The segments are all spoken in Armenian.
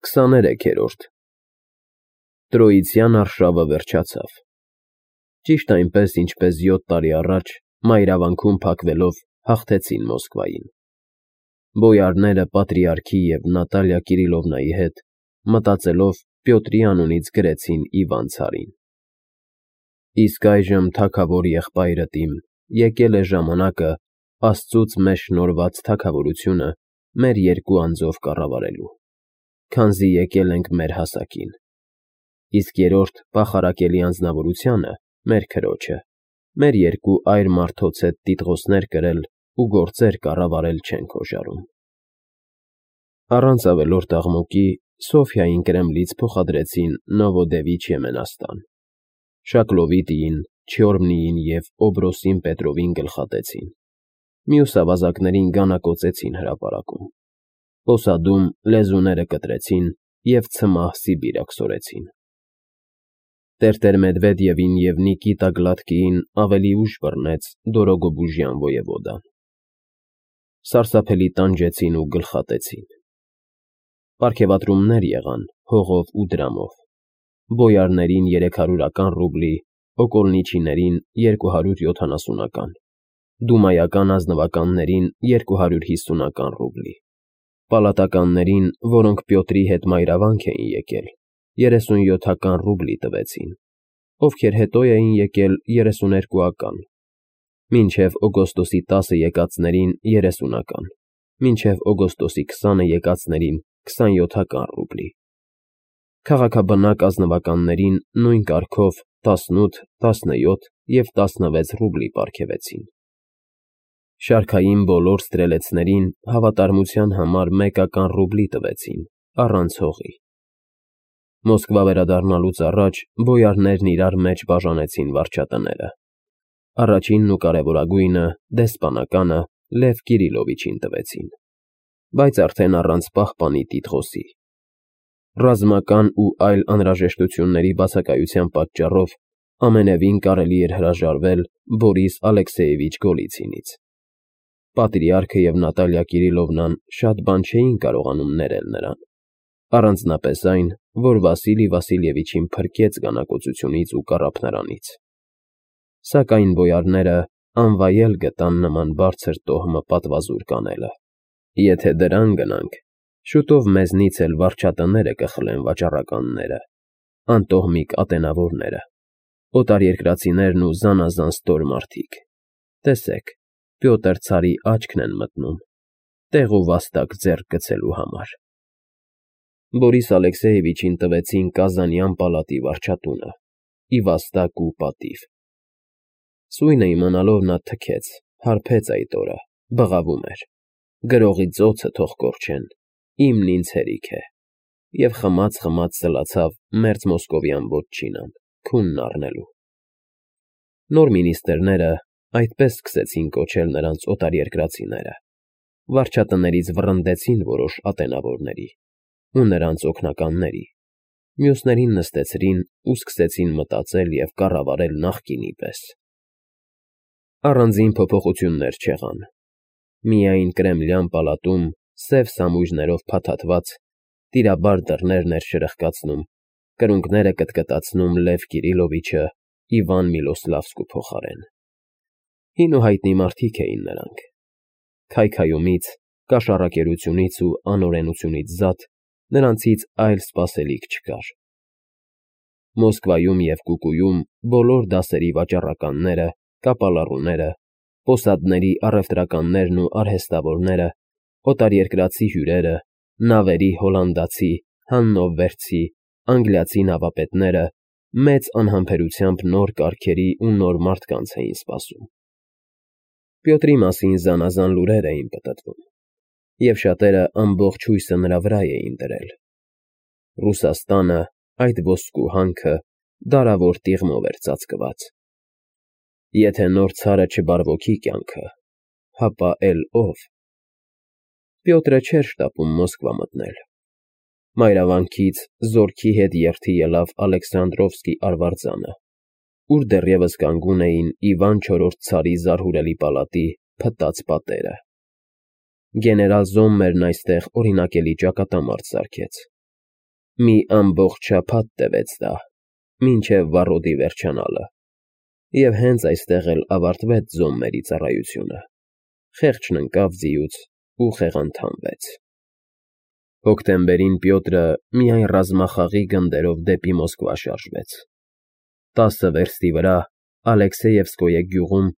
23-րդ Տրոյցյան արշավը վերջացավ։ Ճիշտ այնպես, ինչպես 7 տարի առաջ մայրավանքում փակվելով հաղթեցին Մոսկվային։ Բոյարները Պատրիարքի և Նատալիա Կիրիլովնայի հետ, մտածելով Պյոտրի անունից գրեցին Իվան ցարին. Իսկ այժմ, թագավոր եղբայրդ իմ, եկել է ժամանակը Աստծուց մեզ շնորհված թագավորությունը մեր երկու անձով կառավարելու, քանզի եկել ենք մեր հասակին, իսկ երրորդ պախարակելի անձնավորությունը մեր քրոջը, մեր երկու այր մարդոց հետ տիտղոսներ կրել ու գործեր կառավարել չենք հոժարում։ Առանց ավելորդ աղմուկի Սոֆիային Կրեմլից փոխադրեցին Նովոդևիչ Եմենաստան, Շակլովիտիին, Չյորմնիին և Օբրոսին Պետրովին գլխատեցին, մյուս ավազակներին գանակոծեցին հրապարակում, Պոսադում լեզուները կտրեցին և ցմահ Սիբիր աքսորեցին։ Տեր-Մեդվեդևին և Նիկիտա Գլադկիին ավելի ուշ բռնեց Դորոգոբուժյան ոևոդան։ Սարսափելի տանջեցին ու գլխատեցին։ Պարգևատրումներ եղան հողով ու դրամով, բոյարներին 300 ռուբլի, օկոլնիչիներին 270, դումայական ազնվականներին 250 ռուբլի, պալատականներին, որոնք Պյոտրի հետ մայրավանք էին եկել, 37 ռուբլի տվեցին, ովքեր հետո էին եկել 32, մինչև օգոստոսի 10-ը եկածներին 30, մինչև օգոստոսի 20-ը եկածներին 27 ռուբլի, քաղաքաբնակ ազնվականներին նույն կարգով 18, 17 և 16 ռուբլի պարգևեցին։ Շարքային բոլոր ստրելեցներին հավատարմության համար մեկական ռուբլի տվեցին, առանց հողի։ Մոսկվա վերադառնալուց առաջ բոյարներն իրար մեջ բաժանեցին վարչատները։ Առաջինն ու կարևորագույնը, դեսպանականը Լև Կիրիլովիչին տվեցին, բայց արդեն առանց պահպանի տիտղոսի։ Ռազմական ու այլ անհրաժեշտությունների բացակայության պատճառով ամենևին կարելի էր հրաժարվել Բորիս Ալեքսեևիչ Գոլիցինից։ Պատրիարքը և Նատալիա Կիրիլովնան շատ բան չէին կարողանում ներել նրան, առանձնապես այն, որ Վասիլի Վասիլևիչին փրկեց գանակոծությունից ու կառափնարանից։ Սակայն բոյարները անվայել գտան նման բարձր տոհմը պատվազուր կանելը։ Եթե դրան գնանք, շուտով մեզնից էլ վարչատները կխլեն վաճառականները, անտոհմիկ ատենավորները, օտարերկրացիներն ու զանազան ստոր մարդիկ։ Տեսեք, Պյոտր ցարի աչքն են մտնում, տեղ ու վաստակ ձեռք գցելու համար։ Բորիս Ալեքսեևիչին տվեցին Կազանյան պալատի վարչատունը, ի վաստակ ու պատիվ։ Սույնը իմանալով նա թքեց, հարբեց այդ օրը, բղավում էր. գրողի ծոցը թող կորչեն, իմն ինձ հերիք է, և խմած սլացավ մերձ մոսկովյան որջինան, քունն առնելու։ Նոր մինիստրները այդպես սկսեցին կոչել նրանց օտարերկրացիները, վարչատներից վռնդեցին որոշ ատենավորների ու նրանց օգնականների, մյուսներին նստեցրին ու սկսեցին մտածել և կառավարել նախկինի պես։ Առանձին փոփոխություններ չեղան։ Միայն Կրեմլյան պալատում սև սամույրներով փաթաթված, տիրաբար դռներն էր շրխկացնում, կրունկները կտկտացնում Լև Կիրիլովիչը Իվան Միլոսլավսկու փոխարեն։ Հին ու հայտնի մարդիկ էին նրանք։ Քայքայումից, կաշառակերությունից ու անօրենությունից զատ նրանցից այլ սպասելիք չկար։ Մոսկվայում և Կուկուում բոլոր դասերի վաճառականները, կապալառուները, պոսադների առևտրականներն ու արհեստավորները, օտարերկրացի հյուրերը, նավերի հոլանդացի, հաննովերցի, անգլիացի նավապետները մեծ անհամբերությամբ նոր կարգերի ու նոր մարդկանց էին սպասում։ Պյոտրի մասին զանազան լուրեր էին պտտվում, և շատերը ամբողջ հույսը նրա վրա էին դրել։ Ռուսաստանը, այդ ոսկու հանքը, դարավոր տիղմով էր ծածկված։ Եթե նոր ցարը չբարվոքի կյանքը, հապա էլ ով։ Պյոտրը չէր շտապում Մոսկվա մտնել։ Մայրավանքից զորքի հետ երթի ելավ Ալեքսանդրովսկի արվարձանը, ուր դեռևս կանգուն էին Իվան IV ցարի զարհուրելի պալատի փտած պատերը։ Գեներալ Զոմմերն այստեղ օրինակելի ճակատամարտ սարքեց։ Մի ամբողջ շաբաթ տևեց դա, մինչև վառոդի վերջանալը, և հենց այստեղ էլ ավարտվեց զոհմերի ծառայությունը, խեղճն ընկավ ձիուց ու խեղանթանվեց։ Հոկտեմբերին Պյոտրը միայն ռազմախաղի գնդերով դեպի Մոսկվա շարժվեց։ 10 վերստի վրա Ալեքսեևսկոյե գյուղում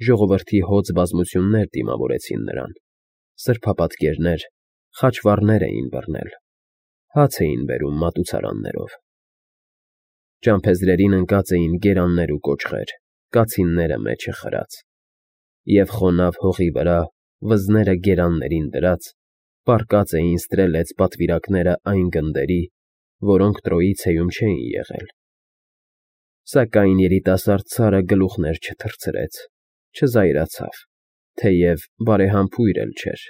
ժողովրդի հոծ բազմություններ դիմավորեցին նրան, սրբապատկերներ, խաչվառներ էին բռնել, հաց էին բերում մատուցարաններով։ Ճամփեզրերին ընկած էին գերաններ ու կոճղեր, կացինները մեջը խրած, և խոնավ հողի վրա, վզները գերաններին դրած, պառկած էին ստրելեց պատվիրակները այն գնդերի, որոնք Տրոյիցեում չէին եղել։ Սակայն երիտասարդ ցարը գլուխներ չթռցրեց, չզայրացավ, թեև բարեհամբույր էլ չէր։